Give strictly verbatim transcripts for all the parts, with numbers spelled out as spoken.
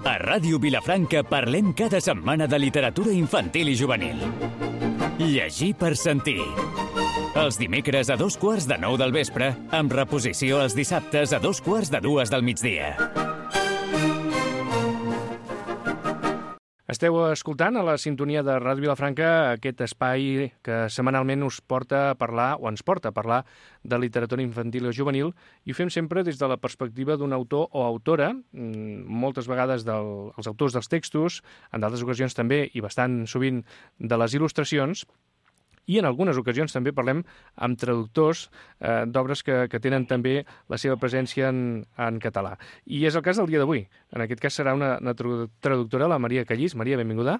A Ràdio Vilafranca parlem cada setmana de literatura infantil i juvenil. Llegir per sentir. Els dimecres a dos quarts de nou del vespre, amb reposició els dissabtes a dos quarts de dues del migdia. Esteu escoltant a la sintonia de Ràdio Vilafranca aquest espai que setmanalment us porta a parlar, o ens porta a parlar, de literatura infantil o juvenil, i ho fem sempre des de la perspectiva d'un autor o autora, moltes vegades del, els autors dels textos, en d'altres ocasions també, i bastant sovint, de les il·lustracions, i en algunes ocasions també parlem amb traductors eh, d'obres que, que tenen també la seva presència en, en català. I és el cas del dia d'avui. En aquest cas serà una, una traductora, la Maria Callís. Maria, benvinguda.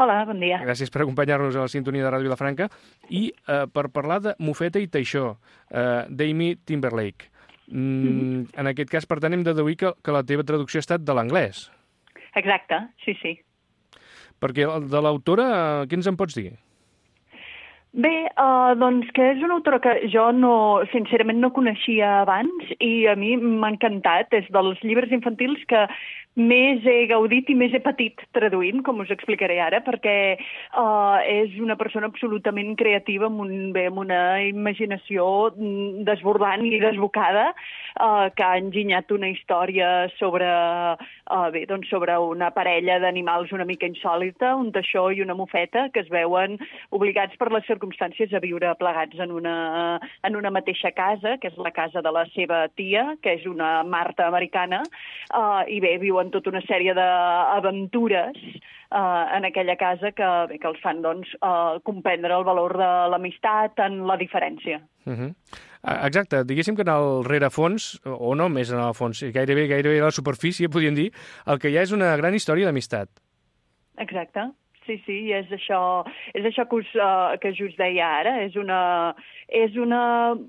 Hola, bon dia. Gràcies per acompanyar-nos a la sintonia de Ràdio Vilafranca. I eh, per parlar de Mofeta i Teixó, eh, d'Amy Timberlake. Mm, mm-hmm. En aquest cas, per tant, hem de deduir que, que la teva traducció ha estat de l'anglès. Exacte, sí, sí. Perquè de l'autora, eh, què ens en pots dir? Bé, uh, doncs que és una autora que jo no, sincerament no coneixia abans i a mi m'ha encantat. És dels llibres infantils que més he gaudit i més he patit traduint, com us explicaré ara, perquè uh, és una persona absolutament creativa, amb, un, bé, amb una imaginació desbordant i desbocada, uh, que ha enginyat una història sobre, uh, bé, doncs sobre una parella d'animals una mica insòlita, un teixó i una mofeta, que es veuen obligats per les circumstàncies a viure plegats en una, en una mateixa casa, que és la casa de la seva tia, que és una Marta americana, uh, i bé, viuen tota una sèrie d'aventures uh, en aquella casa que, bé, que els fan doncs, uh, comprendre el valor de l'amistat en la diferència. Uh-huh. Exacte, diguéssim que en el rerefons, o no més en el fons, gairebé, gairebé a la superfície, podríem dir, el que hi ha és una gran història d'amistat. Exacte. Sí, sí, és això, és això que, us, uh, que us deia ara. És una, és una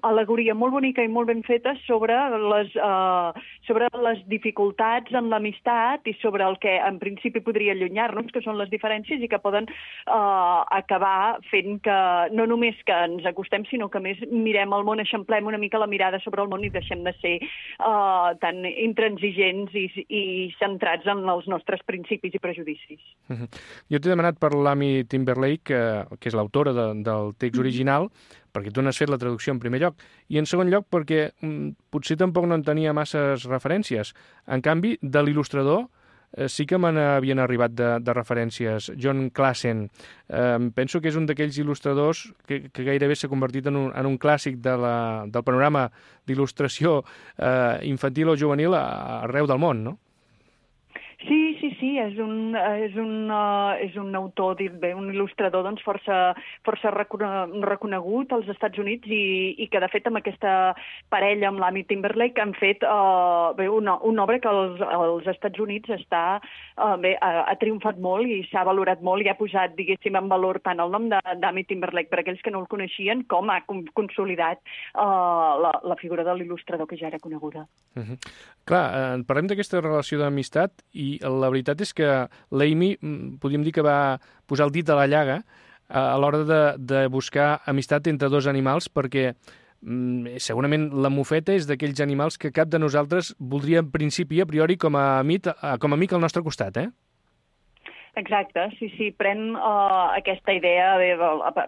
al·legoria molt bonica i molt ben feta sobre les, uh, sobre les dificultats en l'amistat i sobre el que en principi podria allunyar-nos, que són les diferències i que poden uh, acabar fent que no només que ens acostem, sinó que a més mirem el món, eixamplem una mica la mirada sobre el món i deixem de ser uh, tan intransigents i, i centrats en els nostres principis i prejudicis. Uh-huh. Jo t'he demanat per l'Amy Timberlake, que, que és l'autora de, del text original, perquè tu n'has fet la traducció en primer lloc, i en segon lloc perquè mm, potser tampoc no en tenia masses referències. En canvi, de l'il·lustrador eh, sí que me n'havien arribat de, de referències. John Klassen, eh, penso que és un d'aquells il·lustradors que, que gairebé s'ha convertit en un, en un clàssic de la, del panorama d'il·lustració eh, infantil o juvenil arreu del món, no? Sí, sí, sí, és un, és un, uh, és un autor, bé, un il·lustrador doncs, força, força reconegut als Estats Units i, i que, de fet, amb aquesta parella, amb l'Amy Timberlake, han fet uh, bé, una, una obra que als, als Estats Units està, uh, bé, ha, ha triomfat molt i s'ha valorat molt i ha posat, diguéssim, en valor tant el nom d'Amy Timberlake per aquells que no el coneixien com ha consolidat uh, la, la figura de l'il·lustrador que ja era coneguda. Uh-huh. Clar, eh, parlem d'aquesta relació d'amistat i la veritat és que l'Amy, podríem dir que va posar el dit a la llaga a l'hora de, de buscar amistat entre dos animals, perquè mm, segurament la mofeta és d'aquells animals que cap de nosaltres voldria en principi, a priori, com a amic, com a amic al nostre costat, eh? Exacte, sí, sí, pren uh, aquesta idea, bé,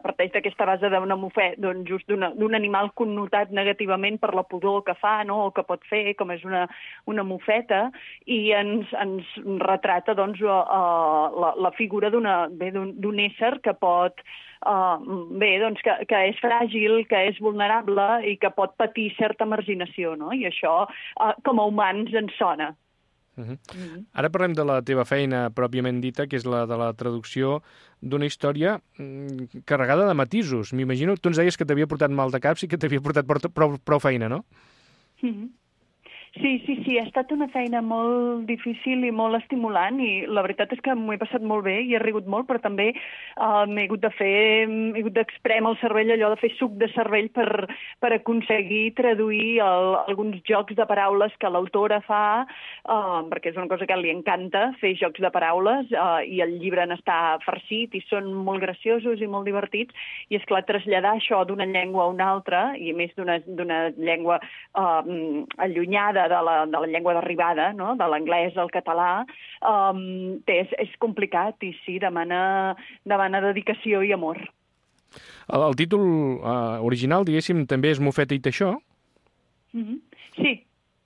parteix d'aquesta base d'una mofeta, doncs just d'un animal connotat negativament per la pudor que fa, no?, o que pot fer, com és una, una mofeta, i ens, ens retrata doncs, uh, la, la figura d'un ésser que pot, uh, bé, doncs, que, que és fràgil, que és vulnerable i que pot patir certa marginació, no?, i això uh, com a humans ens sona. Uh-huh. Uh-huh. Ara parlem de la teva feina pròpiament dita, que és la de la traducció d'una història mm, carregada de matisos. M'imagino, tu ens deies que t'havia portat mal de caps i que t'havia portat prou, prou feina, no? Uh-huh. Sí, sí, sí, ha estat una feina molt difícil i molt estimulant i la veritat és que m'ho he passat molt bé i he rigut molt, però també uh, m'he hagut de fer, he hagut d'exprem el cervell, allò de fer suc de cervell per, per aconseguir traduir el, alguns jocs de paraules que l'autora fa, uh, perquè és una cosa que li encanta, fer jocs de paraules, uh, i el llibre n'està farcit i són molt graciosos i molt divertits, i és clar, traslladar això d'una llengua a una altra, i a més d'una llengua uh, allunyada de, de, la, de la llengua d'arribada, no? De l'anglès al català, um, és, és complicat i sí, demana, demana dedicació i amor. El, el títol uh, original, diguéssim, també és Mofeta i Teixó? Mm-hmm. Sí.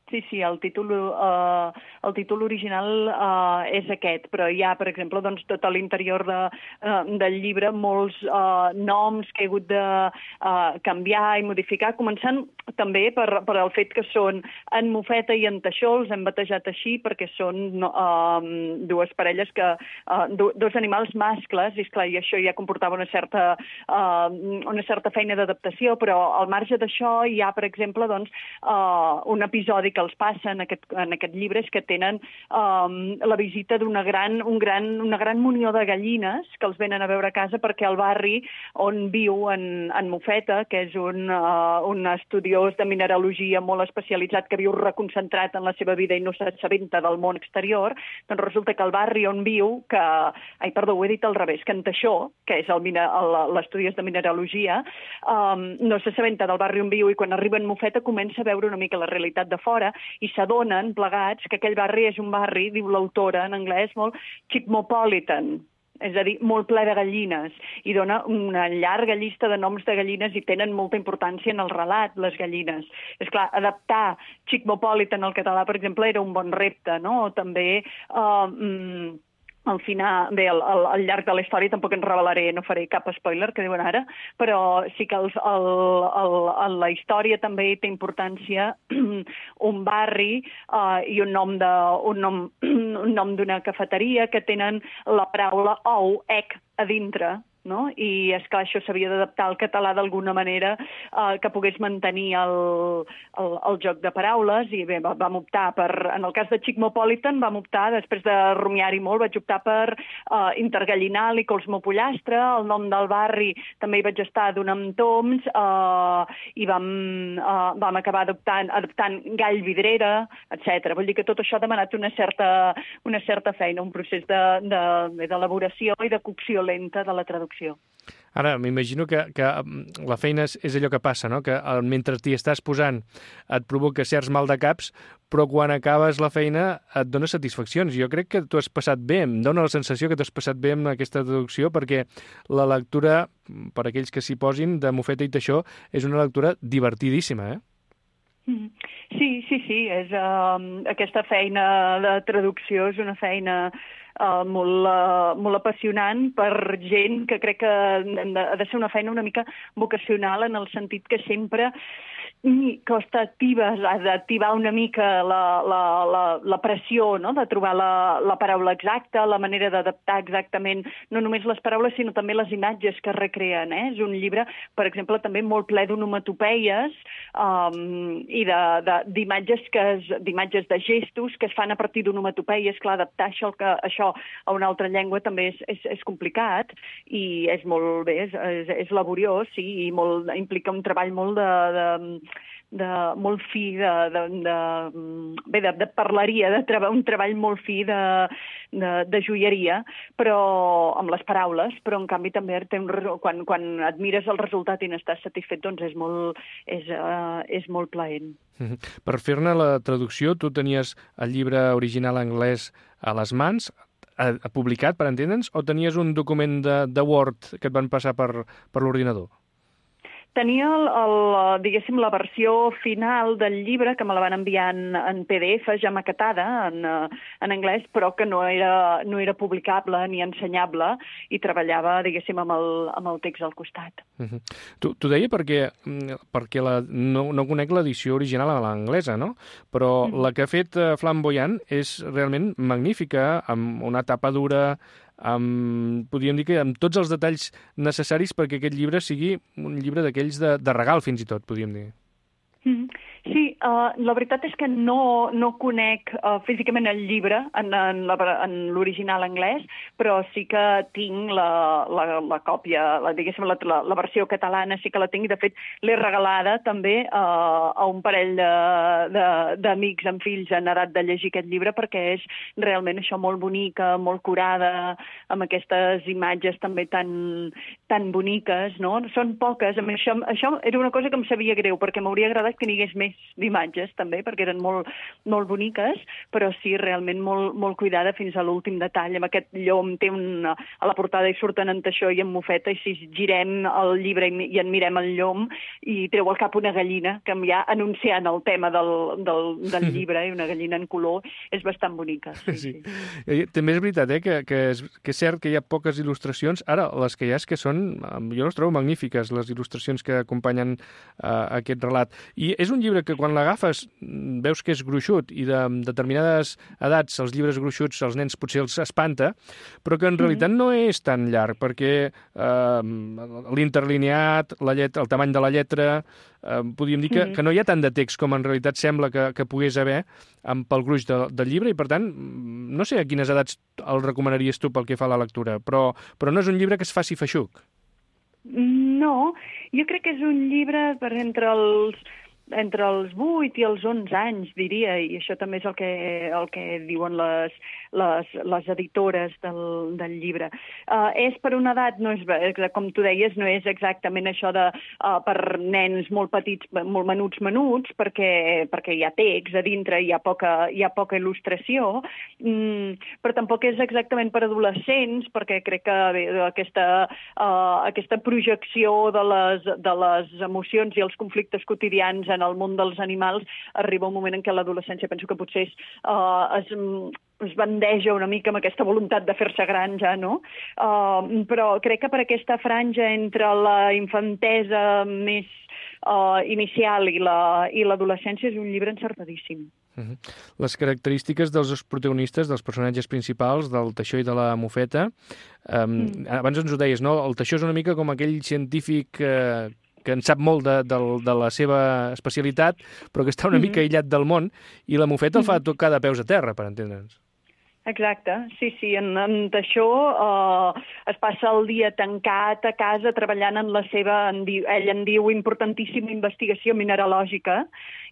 Sí, sí, el títol, uh, el títol original uh, és aquest, però hi ha, per exemple, doncs, tot a l'interior de, uh, del llibre molts uh, noms que he hagut de uh, canviar i modificar, començant també per, per el fet que són en Mofeta i en Teixó, els hem batejat així perquè són uh, dues parelles, que uh, do, dos animals mascles, i esclar, i això ja comportava una certa, uh, una certa feina d'adaptació, però al marge d'això hi ha, per exemple, doncs, uh, un episodi que els passa en aquest, en aquest llibre és que tenen um, la visita d'una gran, un gran, una gran munió de gallines que els venen a veure a casa perquè el barri on viu en, en Mofeta, que és un, uh, un estudiós de mineralogia molt especialitzat que viu reconcentrat en la seva vida i no s'assabenta del món exterior, doncs resulta que el barri on viu, que, ai, perdó, ho he dit al revés, que en Teixó, que és l'estudiós de mineralogia, um, no s'assabenta del barri on viu i quan arriba en Mofeta comença a veure una mica la realitat de fora i s'adonen plegats que aquell barri és un barri, diu l'autora en anglès, molt cosmopolitan, és a dir, molt ple de gallines, i dona una llarga llista de noms de gallines i tenen molta importància en el relat, les gallines. És clar, adaptar cosmopolitan al català, per exemple, era un bon repte, no? O també... Uh, mm, al final, bé, al, al, al llarg de la història tampoc en revelaré, no faré cap spoiler, que diuen ara, però sí que els, el, el, el, la història també té importància un barri uh, i un nom de, un nom, un nom d'una cafeteria que tenen la paraula ou, ec, a dintre, no? I, esclar, això s'havia d'adaptar al català d'alguna manera eh, que pogués mantenir el, el, el joc de paraules i bé, vam optar per, en el cas de Cosmopolitan, vam optar, després de rumiar-hi molt, vaig optar per eh, Intergallinal i Colsmopollastre, el nom del barri també hi vaig estar donant toms eh, i vam, eh, vam acabar adoptant, adoptant Gall Vidrera, etcètera. Vull dir que tot això ha demanat una certa, una certa feina, un procés d'elaboració i de cocció lenta de la traducció. Ara, m'imagino que, que la feina és, és allò que passa, no? Que mentre t'hi estàs posant et provoca certs mal de caps, però quan acabes la feina et dona satisfaccions. Jo crec que t'ho has passat bé, em dona la sensació que t'ho has passat bé amb aquesta traducció, perquè la lectura, per aquells que s'hi posin, de Mofeta i Teixó, és una lectura divertidíssima, eh? Sí, sí, sí. És, uh, aquesta feina de traducció és una feina uh, molt, uh, molt apassionant per gent que crec que ha de ser una feina una mica vocacional en el sentit que sempre costa activar, d'activar una mica la, la, la, la pressió, no? De trobar la, la paraula exacta, la manera d'adaptar exactament no només les paraules, sinó també les imatges que recreen. Eh? És un llibre, per exemple, també molt ple d'onomatopeies um, i d'imatges d'imatges de gestos que es fan a partir d'onomatopeies. Clar, adaptar això, que, això a una altra llengua també és, és, és complicat i és molt bé, és, és, és laboriós, sí, i molt, implica un treball molt de, de de molt fi de, de, de, bé, de, de parleria, de treba, un treball molt fi de, de, de joieria, però amb les paraules, però en canvi també té un, quan, quan admires el resultat i n'estàs satisfet, doncs és molt, és, uh, és molt plaent. Per fer-ne la traducció, tu tenies el llibre original anglès a les mans, publicat, per entendre'ns, o tenies un document de, de Word que et van passar per, per l'ordinador? Tenia, el, el, diguéssim, la versió final del llibre, que me la van enviar en, en P D F, ja maquetada, en, en anglès, però que no era, no era publicable ni ensenyable, i treballava, diguéssim, amb el, amb el text al costat. Uh-huh. T'ho deia perquè, perquè la, no, no conec l'edició original a l'anglesa, no? Però uh-huh. la que ha fet Flamboyant és realment magnífica, amb una tapa dura, amb, podríem dir que amb tots els detalls necessaris perquè aquest llibre sigui un llibre d'aquells de, de regal, fins i tot, podríem dir. Mm. Sí, uh, la veritat és que no, no conec uh, físicament el llibre en, en, la, en l'original anglès, però sí que tinc la, la, la còpia, la, diguéssim, la, la, la versió catalana sí que la tinc, i de fet l'he regalada també uh, a un parell d'amics amb fills en edat de llegir aquest llibre, perquè és realment això molt bonica, molt curada, amb aquestes imatges també tan, tan boniques, no? Són poques, això, això era una cosa que em sabia greu, perquè m'hauria agradat que n'hi hagués més d'imatges, també, perquè eren molt, molt boniques, però sí, realment molt, molt cuidada fins a l'últim detall. Amb aquest llom té una... A la portada hi surten en Teixó i en Mofeta, i si girem el llibre i, i en mirem el llom, i treu al cap una gallina, que ja anunciant el tema del, del, del llibre, i una gallina en color, és bastant bonica. Sí, sí. sí. També és veritat, eh, que, que, és, que és cert que hi ha poques il·lustracions. Ara, les que hi ha és que són... Jo les trobo magnífiques, les il·lustracions que acompanyen uh, aquest relat. I és un llibre que quan l'agafes veus que és gruixut i de determinades edats els llibres gruixuts als nens potser els espanta, però que en realitat no és tan llarg, perquè uh, l'interlineat, la llet, el tamany de la lletra, uh, podríem dir que, que no hi ha tant de text com en realitat sembla que, que pogués haver amb, pel gruix de, del llibre, i per tant no sé a quines edats el recomanaries tu pel que fa a la lectura, però, però no és un llibre que es faci feixuc. No, jo crec que és un llibre per entre els entre els vuit i els onze anys, diria, i això també és el que, el que diuen les, les, les editores del, del llibre. Uh, és per una edat, no és, com tu deies, no és exactament això de uh, per nens molt petits, molt menuts, menuts, perquè, perquè hi ha text a dintre, hi ha poca, hi ha poca il·lustració, mm, però tampoc és exactament per adolescents, perquè crec que bé, aquesta, uh, aquesta projecció de les, de les emocions i els conflictes quotidians en el món dels animals, arriba un moment en què l'adolescència penso que potser és, uh, es, es bandeja una mica amb aquesta voluntat de fer-se gran ja, no? Uh, però crec que per aquesta franja entre la infantesa més uh, inicial i la, i l'adolescència és un llibre encertadíssim. Uh-huh. Les característiques dels dos protagonistes, dels personatges principals, del Teixó i de la Mofeta, um, mm. abans ens ho deies, no? El Teixó és una mica com aquell científic eh, que en sap molt de, de, de la seva especialitat, però que està una mm-hmm. mica aïllat del món, i la Mofeta el fa tocar de peus a terra, per entendre'ns. Exacte, sí, sí, en, en Teixó uh, es passa el dia tancat a casa treballant en la seva, en diu, ell en diu, importantíssima investigació mineralògica,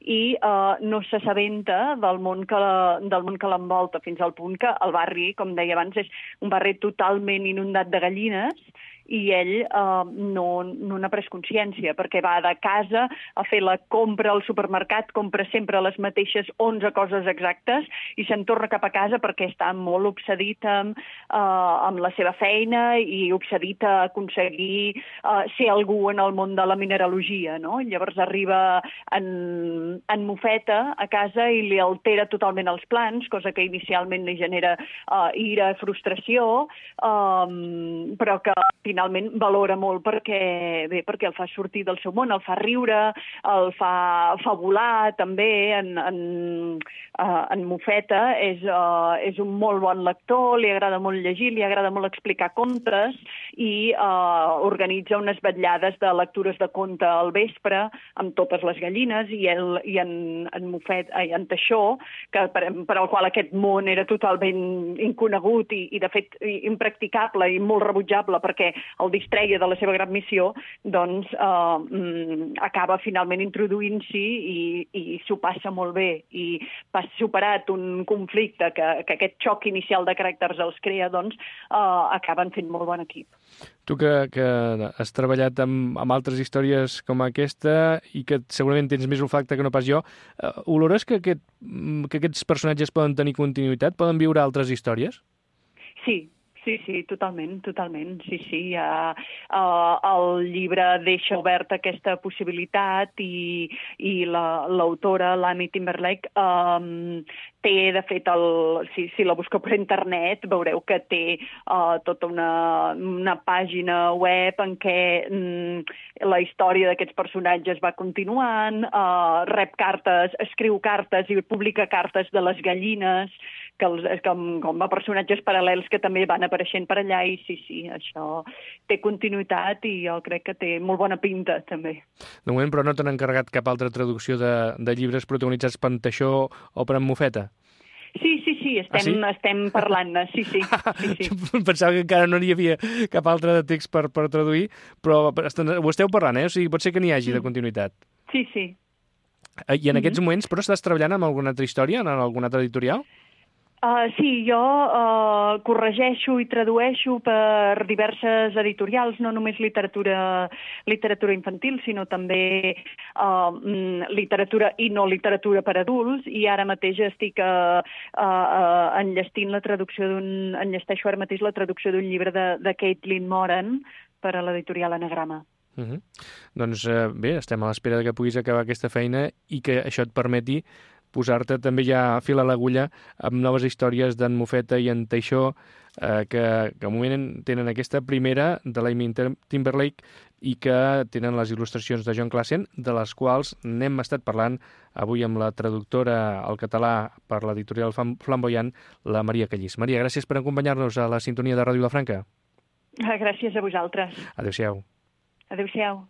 i uh, no s'assabenta del món que la, del món que l'envolta, fins al punt que el barri, com deia abans, és un barri totalment inundat de gallines, i ell eh, no, no n'ha pres consciència, perquè va de casa a fer la compra al supermercat, compra sempre les mateixes onze coses exactes i se'n torna cap a casa perquè està molt obsedit amb, eh, amb la seva feina i obsedit a aconseguir eh, ser algú en el món de la mineralogia, no? Llavors arriba en, en Mofeta a casa i li altera totalment els plans, cosa que inicialment li genera eh, ira, frustració, eh, però que finalment valora molt perquè, bé, perquè el fa sortir del seu món, el fa riure, el fa, fa volar també en, en, uh, en Mofeta. És, uh, és un molt bon lector, li agrada molt llegir, li agrada molt explicar contes i uh, organitza unes vetllades de lectures de conte al vespre amb totes les gallines i, el, i en, en Mofet, ai, en Teixó, que per, per al qual aquest món era totalment inconegut i, i de fet impracticable i molt rebutjable perquè el distreia de la seva gran missió, doncs eh, acaba finalment introduint-s'hi i, i s'ho passa molt bé. I pas superat un conflicte que, que aquest xoc inicial de caràcters els crea, doncs eh, acaben fent molt bon equip. Tu que, que has treballat amb, amb altres històries com aquesta i que segurament tens més olfacte que no pas jo, eh, olores que, aquest, que aquests personatges poden tenir continuïtat? Poden viure altres històries? Sí. Sí, sí, totalment, totalment, sí, sí. Uh, uh, el llibre deixa oberta aquesta possibilitat i, i l'autora, la, l'Amy Timberlake, um, té, de fet, el, si, si la busqueu per internet, veureu que té uh, tota una, una pàgina web en què um, la història d'aquests personatges va continuant, uh, rep cartes, escriu cartes i publica cartes de les gallines, que els, com, com a personatges paral·lels que també van apareixent per allà, i sí, sí, això té continuïtat i jo crec que té molt bona pinta, també. De moment, però no t'han encarregat cap altra traducció de, de llibres protagonitzats per en Teixó o per en Mofeta? Sí, sí, sí, estem, ah, sí? estem parlant-ne, sí, sí. sí, sí. Pensava que encara no n'hi havia cap altre de text per, per traduir, però ho esteu parlant, eh? O sigui, pot ser que n'hi hagi mm. de continuïtat. Sí, sí. I en mm-hmm. aquests moments, però estàs treballant amb alguna altra història, en alguna altra editorial? Uh, sí, jo uh, corregeixo i tradueixo per diverses editorials, no només literatura, literatura infantil, sinó també uh, literatura i no literatura per adults, i ara mateix estic uh, uh, enllestint la traducció d'un... enllesteixo ara mateix la traducció d'un llibre de, de Caitlin Moran per a l'editorial Anagrama. Uh -huh. Doncs eh, bé, estem a l'espera que puguis acabar aquesta feina i que això et permeti posar-te també ja a fil a l'agulla amb noves històries d'en Mofeta i en Teixó, eh, que, que al moment tenen aquesta primera de l'Amy Timberlake i que tenen les il·lustracions de John Classen, de les quals n'hem estat parlant avui amb la traductora al català per l'editorial Flamboyant, la Maria Callís. Maria, gràcies per acompanyar-nos a la sintonia de Ràdio Vilafranca. Gràcies a vosaltres. Adéu-siau. Adéu-siau.